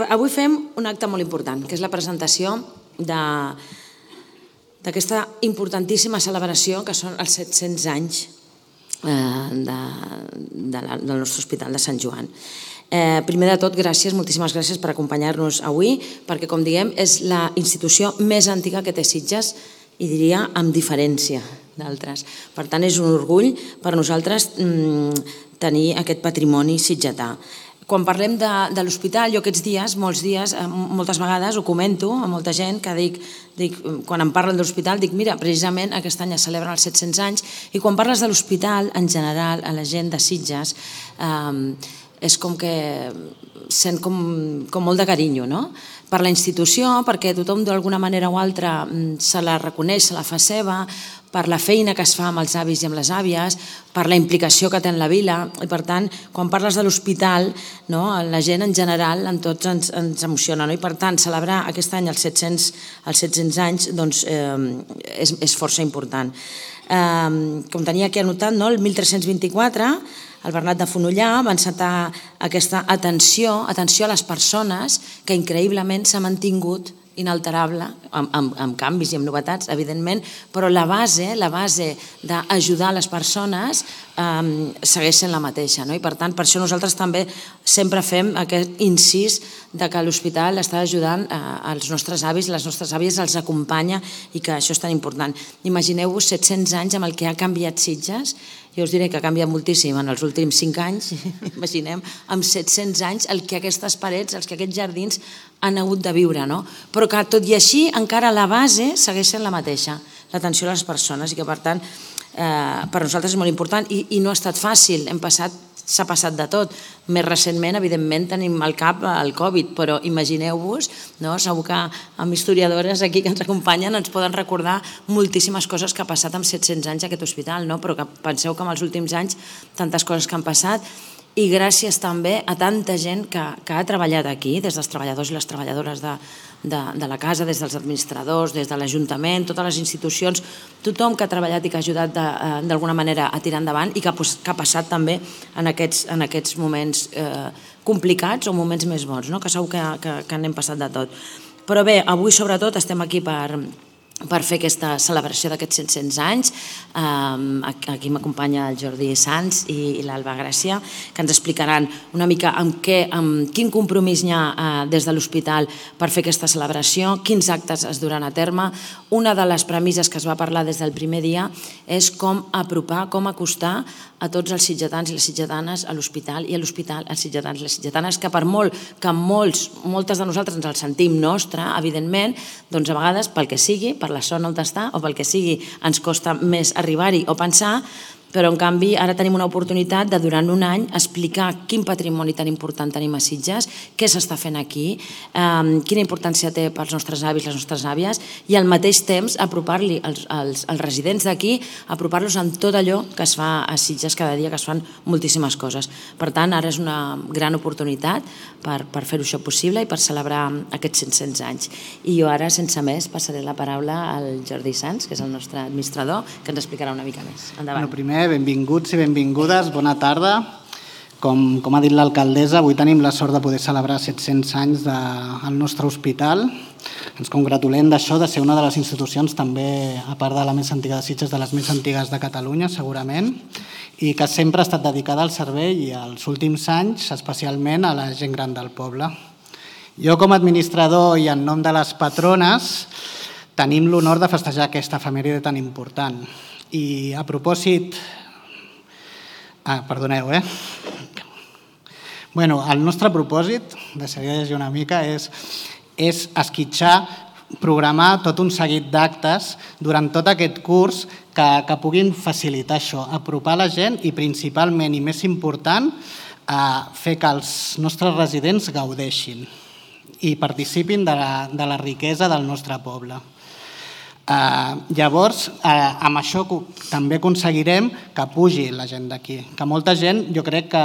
Avui fem un acte molt important, que és la presentació d'aquesta importantíssima celebració que són els 700 anys del nostre Hospital de Sant Joan. Primer de tot, gràcies, moltíssimes gràcies per acompanyar-nos avui, perquè, com diguem, és la institució més antiga que té Sitges, i diria amb diferència d'altres. Per tant, és un orgull per nosaltres tenir aquest patrimoni sitgetà. Quan parlem de l'hospital, jo aquests dies, moltes vegades ho comento a molta gent, que dic, quan em parlen de l'hospital, dic, mira, precisament aquest any es celebren els 700 anys, i quan parles de l'hospital, en general, a la gent de Sitges, és com que sent com molt de carinyo, no? Per la institució, perquè tothom d'alguna manera o altra se la reconeix, se la fa seva, per la feina que es fa amb els avis i amb les àvies, per la implicació que té en la vila, i per tant, quan parles de l'hospital, la gent en general, en tots ens emociona, i per tant, celebrar aquest any els 700 anys és força important. Com tenia aquí anotat, el 1324, el Bernat de Fonollar va encetar aquesta atenció a les persones que increïblement s'ha mantingut inalterable, amb canvis i amb novetats, evidentment, però la base d'ajudar les persones segueix sent la mateixa. I per tant, per això nosaltres també sempre fem aquest incís que l'hospital està ajudant els nostres avis i les nostres àvies, els acompanya, i que això és tan important. Imagineu-vos 700 anys amb el que ha canviat Sitges. Jo us diré que ha canviat moltíssim en els últims 5 anys, imaginem, amb 700 anys el que aquestes parets, el que aquests jardins han hagut de viure, però que tot i així encara la base segueix sent la mateixa, l'atenció a les persones, i que per tant per nosaltres és molt important i no ha estat fàcil, s'ha passat de tot. Més recentment, evidentment, tenim al cap el Covid, però imagineu-vos, segur que amb historiadores aquí que ens acompanyen ens poden recordar moltíssimes coses que ha passat en 700 anys aquest hospital, però que penseu que en els últims anys tantes coses que han passat, i gràcies també a tanta gent que ha treballat aquí, des dels treballadors i les treballadores de la casa, des dels administradors, des de l'Ajuntament, totes les institucions, tothom que ha treballat i que ha ajudat d'alguna manera a tirar endavant, i que ha passat també en aquests moments complicats o moments més bons, que segur que n'hem passat de tot. Però bé, avui sobretot estem aquí per fer aquesta celebració d'aquests 700 anys. Aquí m'acompanya el Jordi Sans i l'Alba Gràcia, que ens explicaran una mica amb quin compromís hi ha des de l'hospital per fer aquesta celebració, quins actes es duran a terme. Una de les premisses que es va parlar des del primer dia és com apropar, com acostar a tots els sitgetans i les sitgetanes a l'hospital, i a l'hospital als sitgetans i les sitgetanes, que per molt que moltes de nosaltres ens el sentim nostre, evidentment, doncs a vegades, pel que sigui, per la zona on està o pel que sigui, ens costa més arribar-hi o pensar, però en canvi ara tenim una oportunitat de durant un any explicar quin patrimoni tan important tenim a Sitges, què s'està fent aquí, quina importància té pels nostres avis, les nostres àvies, i al mateix temps apropar-li als residents d'aquí, apropar-los amb tot allò que es fa a Sitges cada dia, que es fan moltíssimes coses. Per tant, ara és una gran oportunitat per fer-ho això possible i per celebrar aquests 700 anys. I jo ara, sense més, passaré la paraula al Jordi Sans, que és el nostre administrador, que ens explicarà una mica més. Endavant. Primer, benvinguts i benvingudes, bona tarda. Com ha dit l'alcaldessa, avui tenim la sort de poder celebrar 700 anys del nostre hospital. Ens congratulem d'això, de ser una de les institucions també, a part de la més antiga de Sitges, de les més antigues de Catalunya, segurament, i que sempre ha estat dedicada al servei i als últims anys, especialment a la gent gran del poble. Jo, com a administrador i en nom de les patrones, tenim l'honor de festejar aquesta efemèride tan important. I a propòsit... perdoneu, el nostre propòsit, deixaré llegir una mica, és esquitxar, programar tot un seguit d'actes durant tot aquest curs que puguin facilitar això, apropar la gent i principalment, i més important, fer que els nostres residents gaudeixin i participin de la riquesa del nostre poble. Llavors, amb això també aconseguirem que pugi la gent d'aquí, que molta gent jo crec que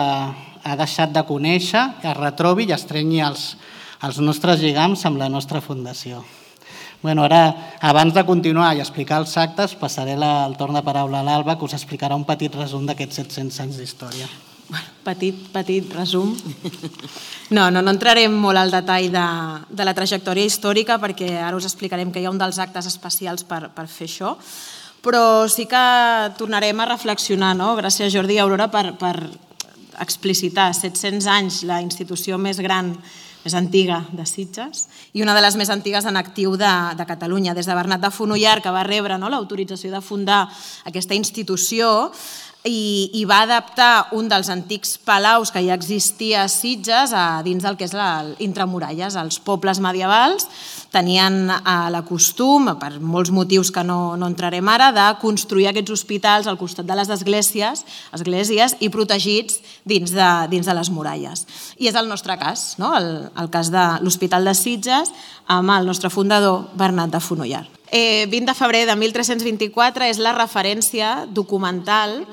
ha deixat de conèixer, es retrobi i estrenyi els nostres lligams amb la nostra fundació. Ara, abans de continuar i explicar els actes, passaré el torn de paraula a l'Alba, que us explicarà un petit resum d'aquests 700 anys d'història. petit resum. No entrarem molt al detall de la trajectòria històrica perquè ara us explicarem que hi ha un dels actes especials per fer això, però sí que tornarem a reflexionar, gràcies Jordi i Aurora, per explicitar 700 anys la institució més gran, més antiga de Sitges i una de les més antigues en actiu de Catalunya. Des de Bernat de Fonollar, que va rebre l'autorització de fundar aquesta institució i va adaptar un dels antics palaus que ja existia a Sitges dins del que és l'intramuralles. Els pobles medievals tenien la costum, per molts motius que no entrarem ara, de construir aquests hospitals al costat de les esglésies i protegits dins de les muralles. I és el nostre cas, el cas de l'Hospital de Sitges amb el nostre fundador Bernat de Fonollar. 20 de febrer de 1324 és la referència documental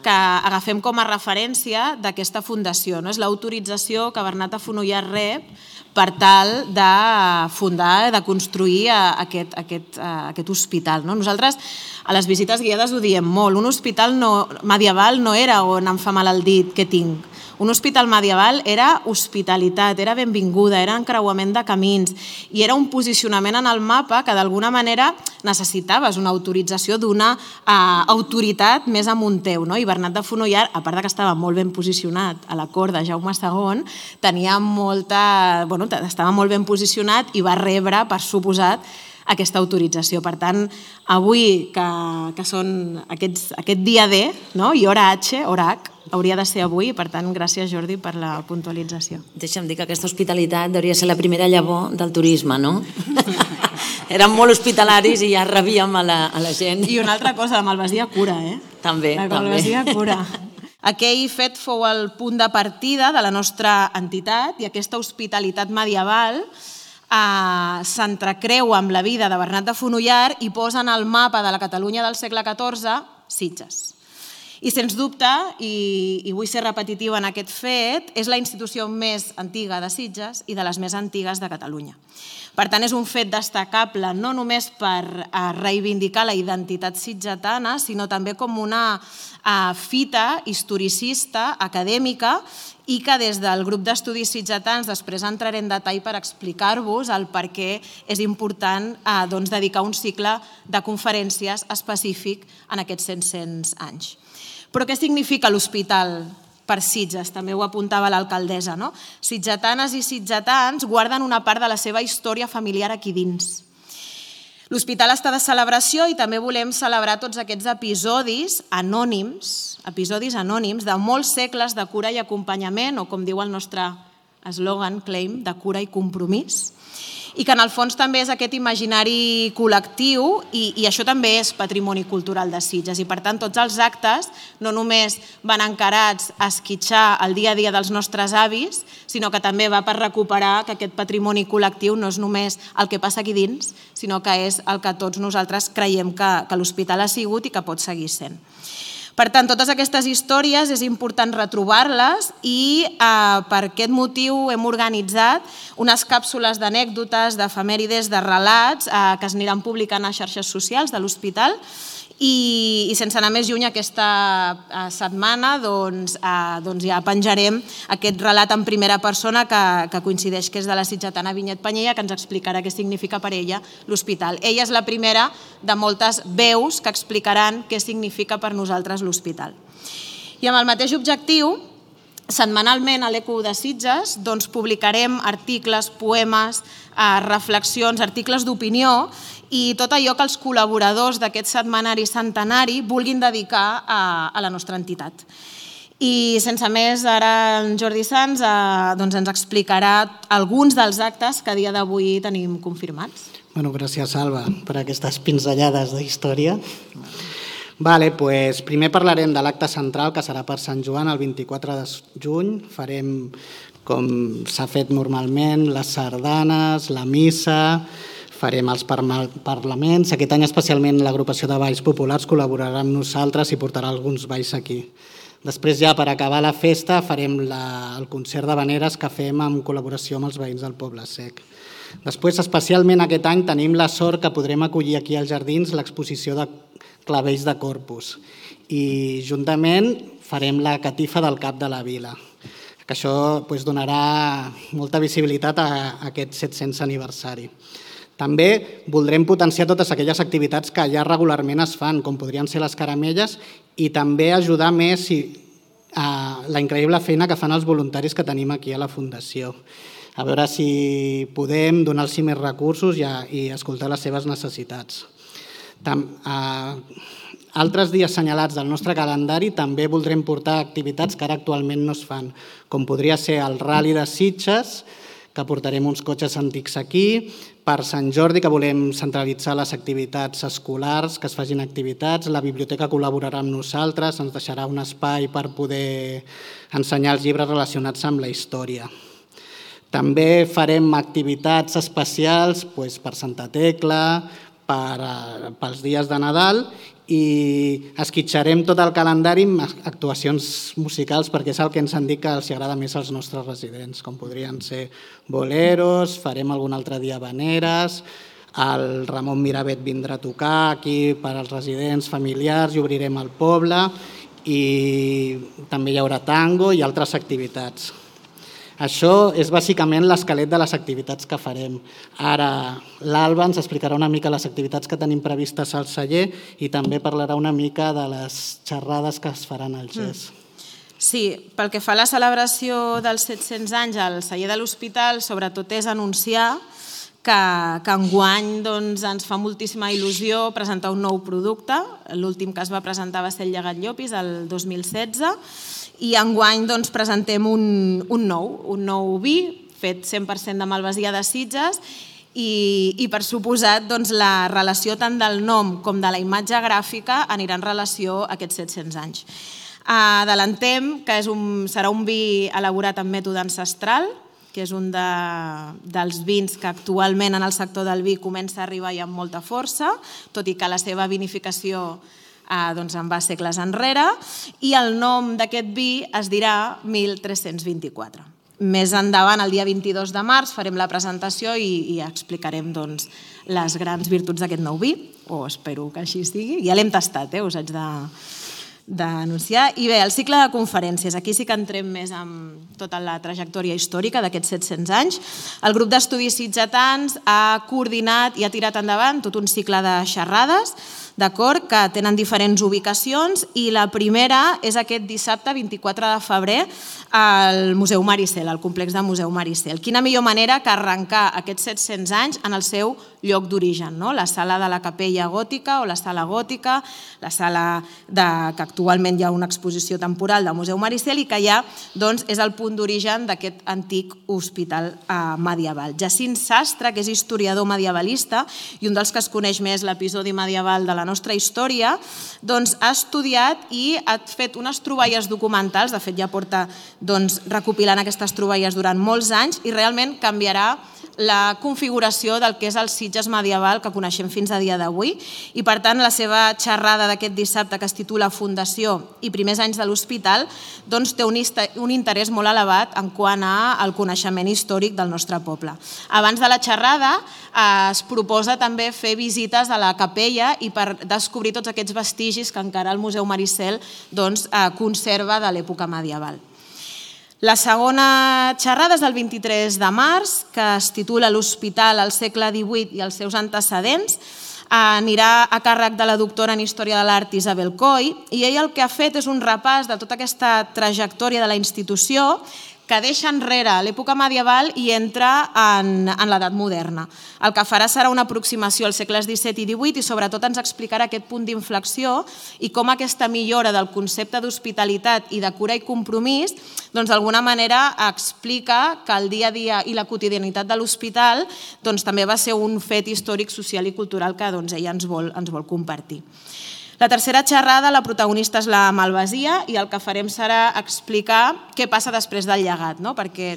que agafem com a referència d'aquesta fundació. És l'autorització que Bernat de Fonollar rep per tal de fundar, de construir aquest hospital. Nosaltres a les visites guiades ho diem molt, un hospital medieval no era on em fa mal el dit, què tinc. Un hospital medieval era hospitalitat, era benvinguda, era encreuament de camins i era un posicionament en el mapa que d'alguna manera necessitaves una autorització d'una autoritat més amunt teu. I Bernat de Fonollar, a part que estava molt ben posicionat a la cort de Jaume II, estava molt ben posicionat i va rebre, per suposat, aquesta autorització. Per tant, avui, que són aquest dia D i hora H, hora H, hauria de ser avui, per tant, gràcies Jordi per la puntualització. Deixa'm dir que aquesta hospitalitat hauria de ser la primera llavor del turisme, no? Érem molt hospitalaris i ja rebíem a la gent. I una altra cosa, la malvasia cura, També, La malvasia cura. Aquell fet fou el punt de partida de la nostra entitat i aquesta hospitalitat medieval s'entrecreua amb la vida de Bernat de Fonollar i posa en el mapa de la Catalunya del segle XIV Sitges. I sens dubte, i vull ser repetitiva en aquest fet, és la institució més antiga de Sitges i de les més antigues de Catalunya. Per tant, és un fet destacable no només per reivindicar la identitat sitgetana, sinó també com una fita historicista, acadèmica, i que des del grup d'estudis sitgetans després entraré en detall per explicar-vos el per què és important dedicar un cicle de conferències específic en aquests 700 anys. Però què significa l'hospital per Sitges? També ho apuntava l'alcaldessa. Sitgetanes i sitgetans guarden una part de la seva història familiar aquí dins. L'hospital està de celebració i també volem celebrar tots aquests episodis anònims de molts segles de cura i acompanyament, o com diu el nostre eslògan, claim, de cura i compromís, i que en el fons també és aquest imaginari col·lectiu i això també és patrimoni cultural de Sitges. I per tant tots els actes no només van encarats a esquitxar el dia a dia dels nostres avis, sinó que també va per recuperar que aquest patrimoni col·lectiu no és només el que passa aquí dins, sinó que és el que tots nosaltres creiem que l'hospital ha sigut i que pot seguir sent. Per tant, totes aquestes històries és important retrobar-les i per aquest motiu hem organitzat unes càpsules d'anècdotes, d'efemèrides, de relats que es aniran publicant a xarxes socials de l'hospital i sense anar més lluny aquesta setmana ja penjarem aquest relat en primera persona que coincideix que és de la sitgetana Vinyet Panyella, que ens explicarà què significa per ella l'hospital. Ella és la primera de moltes veus que explicaran què significa per nosaltres l'hospital. I amb el mateix objectiu, setmanalment a l'Eco de Sitges publicarem articles, poemes, reflexions, articles d'opinió i tot allò que els col·laboradors d'aquest setmanari centenari vulguin dedicar a la nostra entitat. I sense més, ara en Jordi Sans ens explicarà alguns dels actes que a dia d'avui tenim confirmats. Gràcies, Alba, per aquestes pinzellades d'història. Primer parlarem de l'acte central, que serà per Sant Joan, el 24 de juny. Farem, com s'ha fet normalment, les sardanes, la missa, farem els parlaments. Aquest any especialment l'agrupació de balls populars col·laborarà amb nosaltres i portarà alguns balls aquí. Després ja per acabar la festa farem el concert d'havaneres que fem en col·laboració amb els veïns del Poble Sec. Després, especialment aquest any, tenim la sort que podrem acollir aquí als jardins l'exposició de clavells de Corpus. I juntament farem la catifa del cap de la vila, que això donarà molta visibilitat a aquest 700 aniversari. També voldrem potenciar totes aquelles activitats que ja regularment es fan, com podrien ser les caramelles, i també ajudar més a la increïble feina que fan els voluntaris que tenim aquí a la Fundació. A veure si podem donar-los més recursos i escoltar les seves necessitats. Altres dies assenyalats del nostre calendari també voldrem portar activitats que ara actualment no es fan, com podria ser el Rally de Sitges, que portarem uns cotxes antics aquí, per Sant Jordi, que volem centralitzar les activitats escolars, que es facin activitats, la biblioteca col·laborarà amb nosaltres, ens deixarà un espai per poder ensenyar els llibres relacionats amb la història. També farem activitats especials per Santa Tecla, pels dies de Nadal, i esquitxarem tot el calendari amb actuacions musicals perquè és el que ens han dit que els agrada més als nostres residents, com podrien ser boleros, farem algun altre dia habaneres, el Ramon Miravet vindrà a tocar aquí per als residents familiars i obrirem el poble, i també hi haurà tango i altres activitats. Això és bàsicament l'esquelet de les activitats que farem. Ara l'Alba ens explicarà una mica les activitats que tenim previstes al celler i també parlarà una mica de les xerrades que es faran al GES. Sí, pel que fa a la celebració dels 700 anys al celler de l'Hospital, sobretot és anunciar que enguany ens fa moltíssima il·lusió presentar un nou producte. L'últim que es va presentar va ser el Llegat Llopis, el 2016, i enguany presentem un nou vi fet 100% de malvasia de Sitges i per suposat la relació tant del nom com de la imatge gràfica anirà en relació a aquests 700 anys. Adelantem que serà un vi elaborat amb mètode ancestral, que és un dels vins que actualment en el sector del vi comença a arribar i amb molta força, tot i que la seva vinificació en va segles enrere, i el nom d'aquest vi es dirà 1324. Més endavant, el dia 22 de març, farem la presentació i explicarem les grans virtuts d'aquest nou vi, o espero que així sigui. Ja l'hem tastat, us haig d'anunciar. I bé, el cicle de conferències, aquí sí que entrem més en tota la trajectòria històrica d'aquests 700 anys. El grup d'estudis sitgetans ha coordinat i ha tirat endavant tot un cicle de xerrades, d'acord, que tenen diferents ubicacions, i la primera és aquest dissabte 24 de febrer al Museu Maricel, al complex del Museu Maricel. Quina millor manera que arrencar aquests 700 anys en el seu lloc d'origen, la sala de la capella gòtica o la sala gòtica, la sala que actualment hi ha una exposició temporal del Museu Maricel i que ja és el punt d'origen d'aquest antic hospital medieval. Jacint Sastre, que és historiador medievalista i un dels que es coneix més l'episodi medieval de la nostra història, ha estudiat i ha fet unes troballes documentals, de fet ja porta recopilant aquestes troballes durant molts anys, i realment canviarà la configuració del que és el Sitges medieval que coneixem fins a dia d'avui, i per tant la seva xerrada d'aquest dissabte, que es titula Fundació i primers anys de l'Hospital, té un interès molt elevat en quant al coneixement històric del nostre poble. Abans de la xerrada es proposa també fer visites a la capella i per descobrir tots aquests vestigis que encara el Museu Maricel conserva de l'època medieval. La segona xerrada és del 23 de març, que es titula L'Hospital al segle XVIII i els seus antecedents. Anirà a càrrec de la doctora en Història de l'Art Isabel Coll, i ella el que ha fet és un repàs de tota aquesta trajectòria de la institució que deixa enrere l'època medieval i entra en l'edat moderna. El que farà serà una aproximació als segles XVII i XVIII i sobretot ens explicarà aquest punt d'inflexió i com aquesta millora del concepte d'hospitalitat i de cura i compromís d'alguna manera explica que el dia a dia i la quotidianitat de l'hospital també va ser un fet històric, social i cultural que ella ens vol compartir. La tercera xerrada, la protagonista és la malvasia, i el que farem serà explicar què passa després del llegat, perquè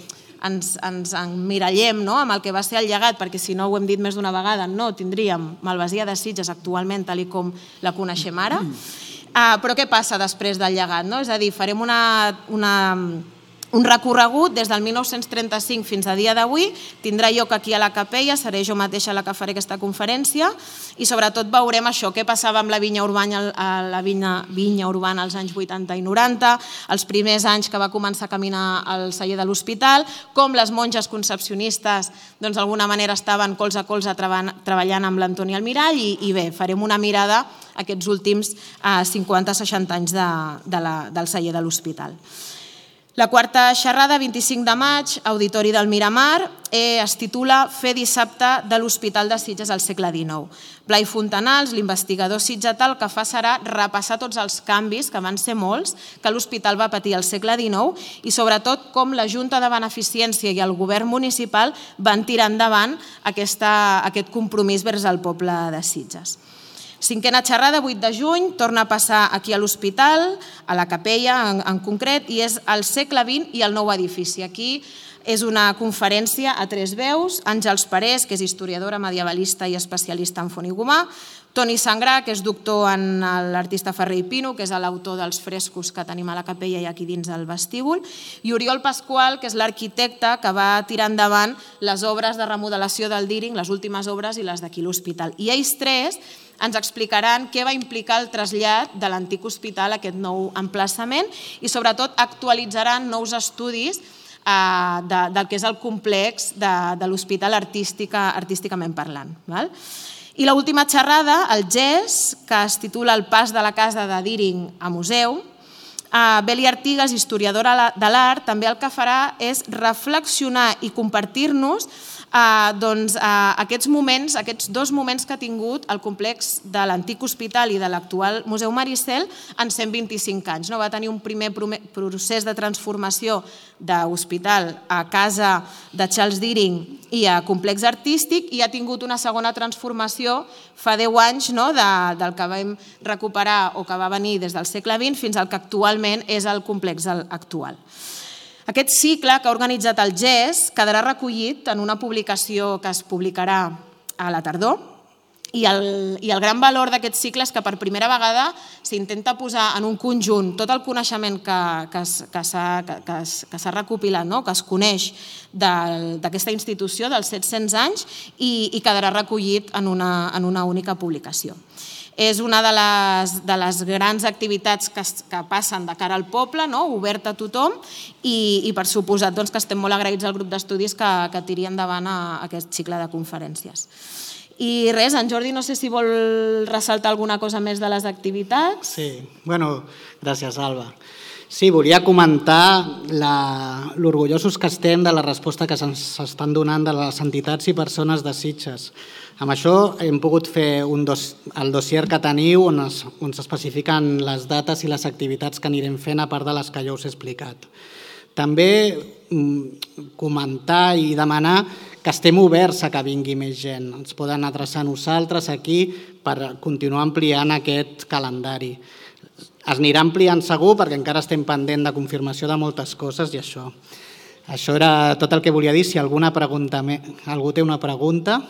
ens emmirallem amb el que va ser el llegat, perquè si no ho hem dit més d'una vegada, no tindríem malvasia de Sitges actualment tal com la coneixem ara. Però què passa després del llegat? És a dir, farem una Un recorregut des del 1935 fins a dia d'avui tindrà lloc aquí a la Capella, seré jo mateixa la que faré aquesta conferència i sobretot veurem això, què passava amb la vinya urbana als anys 80 i 90, els primers anys que va començar a caminar al celler de l'Hospital, com les monges concepcionistes d'alguna manera estaven colze a colze treballant amb l'Antoni Almirall i bé, farem una mirada a aquests últims 50-60 anys del celler de l'Hospital. La quarta xerrada, 25 de maig, Auditori del Miramar, es titula Fer dissabte de l'Hospital de Sitges al segle XIX. Blai Fontanals, l'investigador sitgetal, el que fa serà repassar tots els canvis, que van ser molts, que l'hospital va patir al segle XIX i sobretot com la Junta de Beneficència i el govern municipal van tirar endavant aquest compromís vers el poble de Sitges. Cinquena xerrada, 8 de juny, torna a passar aquí a l'hospital, a la Capella en concret, i és el segle XX i el nou edifici. Aquí és una conferència a 3 veus, Àngels Parés, que és historiadora, medievalista i especialista en font i gomà, Toni Sangrà, que és doctor en l'artista Ferrer i Pino, que és l'autor dels frescos que tenim a la Capella i aquí dins el vestíbul, i Oriol Pasqual, que és l'arquitecte que va tirar endavant les obres de remodelació del Díring, les últimes obres i les d'aquí l'hospital. I ells tres ens explicaran què va implicar el trasllat de l'antic hospital a aquest nou emplaçament i sobretot actualitzaran nous estudis del que és el complex de l'hospital artísticament parlant. I l'última xerrada, el GES, que es titula El pas de la casa de Díring a museu. Beli Artigas, historiadora de l'art, també el que farà és reflexionar i compartir-nos aquests moments, aquests 2 moments que ha tingut el complex de l'antic hospital i de l'actual Museu Maricel en 125 anys. Va tenir un primer procés de transformació d'hospital a casa de Charles Díring i a complex artístic i ha tingut una segona transformació fa 10 anys del que vam recuperar o que va venir des del segle XX fins al que actualment és el complex actual. Aquest cicle que ha organitzat el GES quedarà recollit en una publicació que es publicarà a la tardor i el gran valor d'aquest cicle és que per primera vegada s'intenta posar en un conjunt tot el coneixement que s'ha recopilat, que es coneix d'aquesta institució dels 700 anys i quedarà recollit en una única publicació. És una de les grans activitats que passen de cara al poble, oberta a tothom i per suposat que estem molt agraïts al grup d'estudis que tiri endavant aquest cicle de conferències. I res, en Jordi no sé si vol ressaltar alguna cosa més de les activitats. Sí, gràcies Alba. Sí, volia comentar l'orgullosos que estem de la resposta que se'ns estan donant de les entitats i persones de Sitges. Amb això hem pogut fer el dossier que teniu on s'especifiquen les dates i les activitats que anirem fent a part de les que ja us he explicat. També comentar i demanar que estem oberts a que vingui més gent. Ens poden adreçar a nosaltres aquí per continuar ampliant aquest calendari. Es anirà ampliant segur perquè encara estem pendent de confirmació de moltes coses i això. Això era tot el que volia dir. Si algú té una pregunta...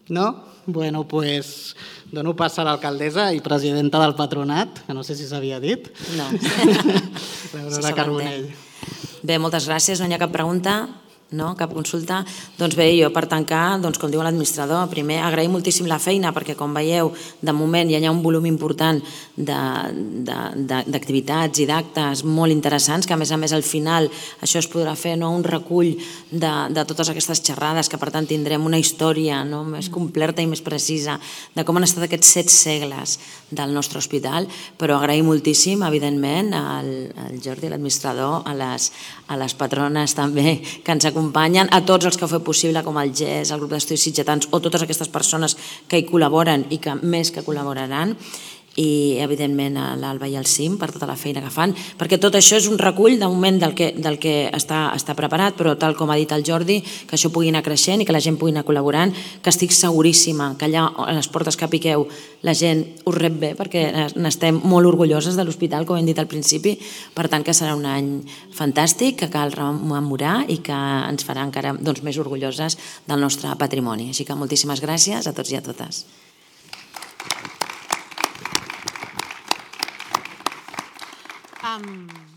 No? Bueno, doncs dono pas a l'alcaldessa i presidenta del patronat, que no sé si s'havia dit. No. L'Aurora Carbonell. Bé, moltes gràcies. No hi ha cap pregunta? No? Cap consulta? Doncs bé, jo per tancar, com diu l'administrador, primer agrair moltíssim la feina perquè com veieu, de moment ja hi ha un volum important d'activitats i d'actes molt interessants que a més al final això es podrà fer un recull de totes aquestes xerrades que per tant tindrem una història més completa i més precisa de com han estat aquests 7 segles del nostre hospital, però agrair moltíssim evidentment al Jordi, l'administrador, a les patrones també que ens acompanyen, a tots els que ho fet possible com el GES, el grup d'estudis sitgetans o totes aquestes persones que hi col·laboren i que més que col·laboraran i evidentment a l'Alba i al CIM per tota la feina que fan, perquè tot això és un recull de moment del que està preparat, però tal com ha dit el Jordi, que això pugui anar creixent i que la gent pugui anar col·laborant, que estic seguríssima que allà a les portes que piqueu la gent us rep bé, perquè n'estem molt orgulloses de l'hospital, com hem dit al principi, per tant que serà un any fantàstic, que cal rememorar i que ens farà encara més orgulloses del nostre patrimoni. Així que moltíssimes gràcies a tots i a totes. amb